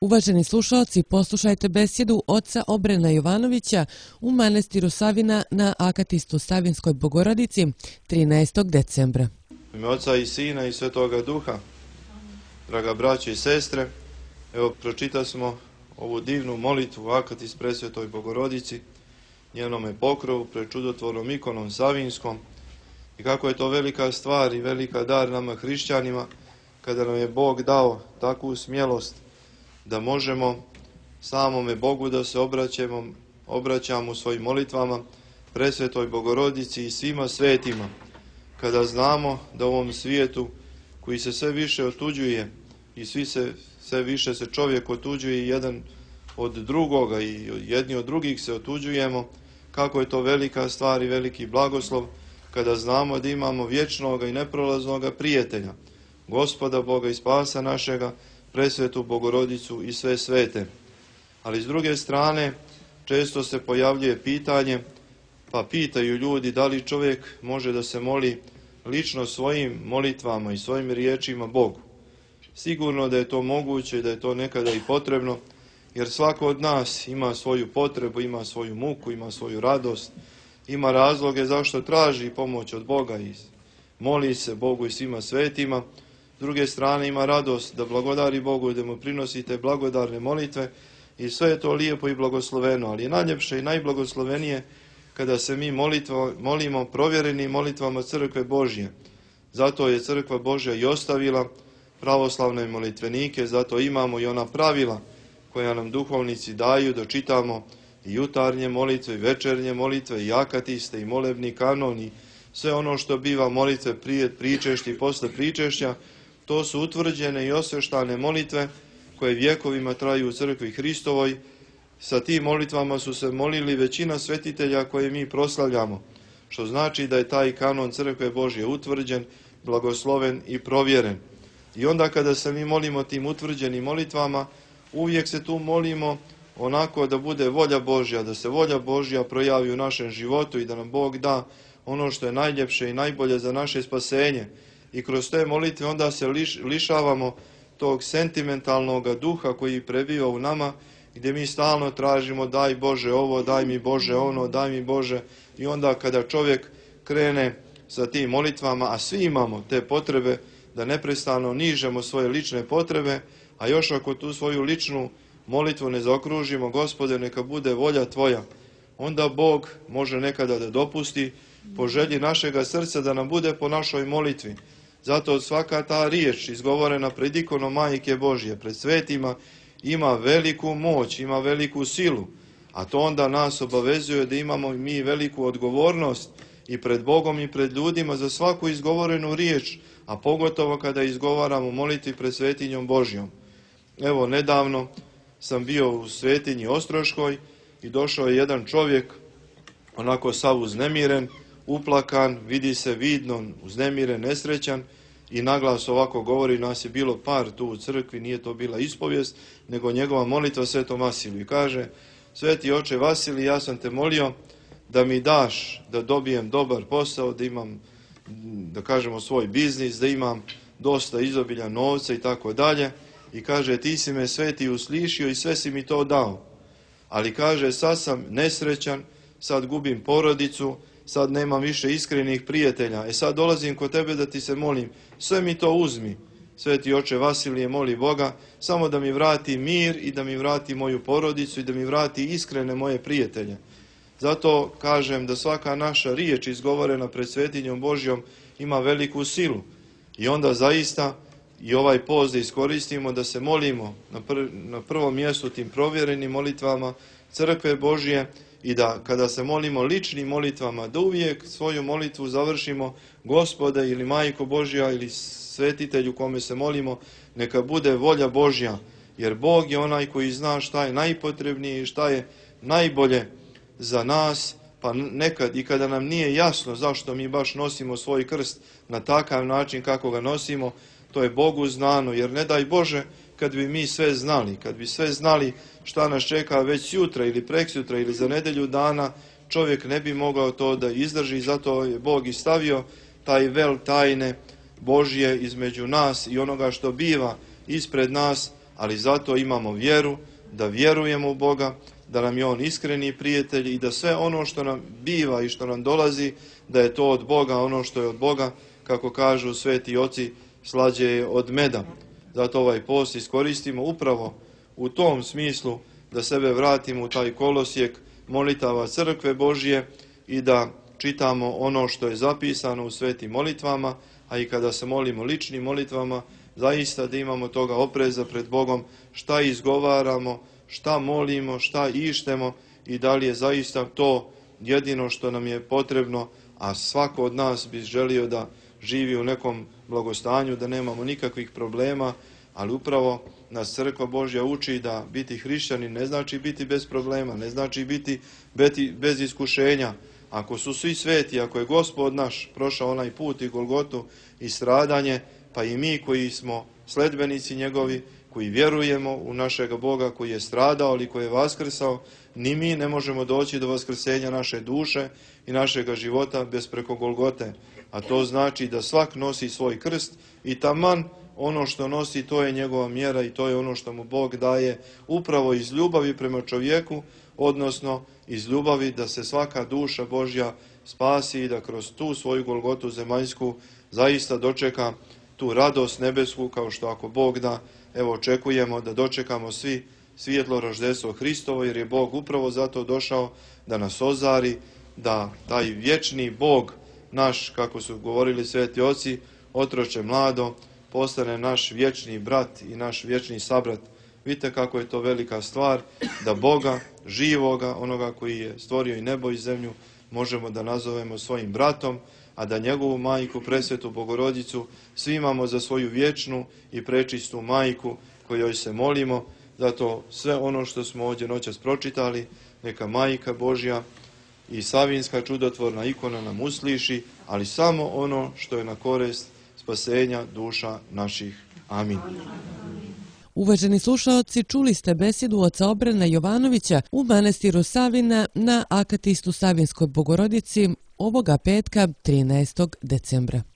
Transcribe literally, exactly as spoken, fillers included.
Uvaženi slušalci, poslušajte besjedu oca Obrena Jovanovića u manastiru Savina na Akatistu Savinskoj Bogorodici trinaestog decembra. U ime Oca i Sina i Svetoga Duha, draga braće i sestre, evo pročitali smo ovu divnu molitvu Akatist Presvetoj Bogorodici, njenome pokrovu pred čudotvornom ikonom Savinskom, i kako je to velika stvar i velika dar nama hrišćanima kada nam je Bog dao takvu smjelost da možemo samome Bogu da se obraćamo, obraćamo u svojim molitvama Presvetoj Bogorodici i svima svetima, kada znamo da u ovom svijetu koji se sve više otuđuje i svi se, sve više se čovjek otuđuje jedan od drugoga i jedni od drugih se otuđujemo, kako je to velika stvar i veliki blagoslov kada znamo da imamo vječnoga i neprolaznoga prijatelja, Gospoda Boga i Spasa našega, Presvetu Bogorodicu i sve svete. Ali s druge strane, često se pojavljuje pitanje, pa pitaju ljudi da li čovjek može da se moli lično svojim molitvama i svojim riječima Bogu. Sigurno da je to moguće i da je to nekada i potrebno, jer svako od nas ima svoju potrebu, ima svoju muku, ima svoju radost, ima razloge zašto traži pomoć od Boga i moli se Bogu i svima svetima. S druge strane ima radost da blagodari Bogu i da mu prinosite blagodarne molitve i sve je to lijepo i blagosloveno, ali je najljepše i najblagoslovenije kada se mi molitvo, molimo provjerenim molitvama Crkve Božje. Zato je Crkva Božja i ostavila pravoslavne molitvenike, zato imamo i ona pravila koja nam duhovnici daju da čitamo i jutarnje molitve, i večernje molitve, i akatiste, i molebni kanon, i sve ono što biva molitve prije pričešća i posle pričešća. To su utvrđene i osveštane molitve koje vjekovima traju u Crkvi Hristovoj. Sa tim molitvama su se molili većina svetitelja koje mi proslavljamo, što znači da je taj kanon Crkve Božje utvrđen, blagosloven i provjeren. I onda kada se mi molimo tim utvrđenim molitvama, uvijek se tu molimo onako da bude volja Božja, da se volja Božja projavi u našem životu i da nam Bog da ono što je najljepše i najbolje za naše spasenje. I kroz te molitve onda se liš, lišavamo tog sentimentalnog duha koji prebiva u nama, gdje mi stalno tražimo daj Bože ovo, daj mi Bože ono, daj mi Bože. I onda kada čovjek krene sa tim molitvama, a svi imamo te potrebe da neprestano nižemo svoje lične potrebe, a još ako tu svoju ličnu molitvu ne zaokružimo, Gospode, neka bude volja Tvoja, onda Bog može nekada da dopusti po želji našega srca da nam bude po našoj molitvi. Zato svaka ta riječ izgovorena pred ikonom Majke Božje, pred svetima, ima veliku moć, ima veliku silu, a to onda nas obavezuje da imamo mi veliku odgovornost i pred Bogom i pred ljudima za svaku izgovorenu riječ, a pogotovo kada izgovaramo molitvi pred svetinjom Božjom. Evo, nedavno sam bio u svetinji Ostroškoj i došao je jedan čovjek, onako sav uznemiren, uplakan, vidi se vidno, uznemiren, nesrećan, i naglas ovako govori, nas je bilo par tu u crkvi, nije to bila ispovijest, nego njegova molitva Svetom Vasiliju. I kaže, Sveti oče Vasilij, ja sam te molio da mi daš da dobijem dobar posao, da imam, da kažemo, svoj biznis, da imam dosta izobilja novca i tako dalje. I kaže, ti si me Sveti uslišio i sve si mi to dao. Ali kaže, sad sam nesrećan, sad gubim porodicu, sad nemam više iskrenih prijatelja. E sad dolazim kod tebe da ti se molim, sve mi to uzmi. Sveti oče Vasilije moli Boga samo da mi vrati mir i da mi vrati moju porodicu i da mi vrati iskrene moje prijatelje. Zato kažem da svaka naša riječ izgovorena pred svetinjom Božjom ima veliku silu. I onda zaista i ovaj post da iskoristimo da se molimo na, pr na prvom mjestu tim provjerenim molitvama Crkve Božje, i da kada se molimo ličnim molitvama, da uvijek svoju molitvu završimo, Gospode ili Majko Božja ili svetitelju kome se molimo, neka bude volja Božja, jer Bog je onaj koji zna šta je najpotrebnije i šta je najbolje za nas, pa nekad i kada nam nije jasno zašto mi baš nosimo svoj krst na takav način kako ga nosimo, to je Bogu znano, jer ne daj Bože kad bi mi sve znali, kad bi sve znali šta nas čeka već sutra ili preksutra ili za nedelju dana, čovjek ne bi mogao to da izdrži, zato je Bog i stavio taj vel tajne Božje između nas i onoga što biva ispred nas, ali zato imamo vjeru, da vjerujemo u Boga, da nam je On iskreni prijatelj i da sve ono što nam biva i što nam dolazi, da je to od Boga, ono što je od Boga, kako kažu sveti oci, slađe je od meda. Zato ovaj post iskoristimo upravo u tom smislu da sebe vratimo u taj kolosijek molitava crkve Božje i da čitamo ono što je zapisano u svetim molitvama, a i kada se molimo ličnim molitvama, zaista da imamo toga opreza pred Bogom, šta izgovaramo, šta molimo, šta ištemo i da li je zaista to jedino što nam je potrebno, a svako od nas bi želio da živi u nekom blagostanju, da nemamo nikakvih problema, ali upravo nas crkva Božja uči da biti hrišćanin ne znači biti bez problema, ne znači biti bez iskušenja. Ako su svi sveti, ako je Gospod naš prošao onaj put i Golgotu i stradanje, pa i mi koji smo sledbenici njegovi, koji vjerujemo u našega Boga koji je stradao ali koji je vaskrsao, ni mi ne možemo doći do vaskrsenja naše duše i našega života bez preko Golgote. A to znači da svak nosi svoj krst i taman ono što nosi, to je njegova mjera i to je ono što mu Bog daje upravo iz ljubavi prema čovjeku, odnosno iz ljubavi da se svaka duša Božja spasi i da kroz tu svoju Golgotu zemaljsku zaista dočeka tu radost nebesku, kao što ako Bog da, evo očekujemo da dočekamo svi svjetlo roždestvo Hristovo, jer je Bog upravo zato došao da nas ozari, da taj vječni Bog naš, kako su govorili sveti oci, otroče mlado, postane naš vječni brat i naš vječni sabrat. Vidite kako je to velika stvar, da Boga, živoga, onoga koji je stvorio i nebo i zemlju, možemo da nazovemo svojim bratom, a da njegovu majku, presvetu Bogorodicu, svi imamo za svoju vječnu i prečistu majku kojoj se molimo. Zato sve ono što smo ovdje noćas pročitali, neka majka Božja i Savinska čudotvorna ikona nam usliši, ali samo ono što je na korist spasenja duša naših. Amin. Uvaženi slušaoci, čuli ste besjedu oca Obrena Jovanovića u manastiru Savina na Akatistu Savinskoj Bogorodici ovoga petka trinaestog decembra.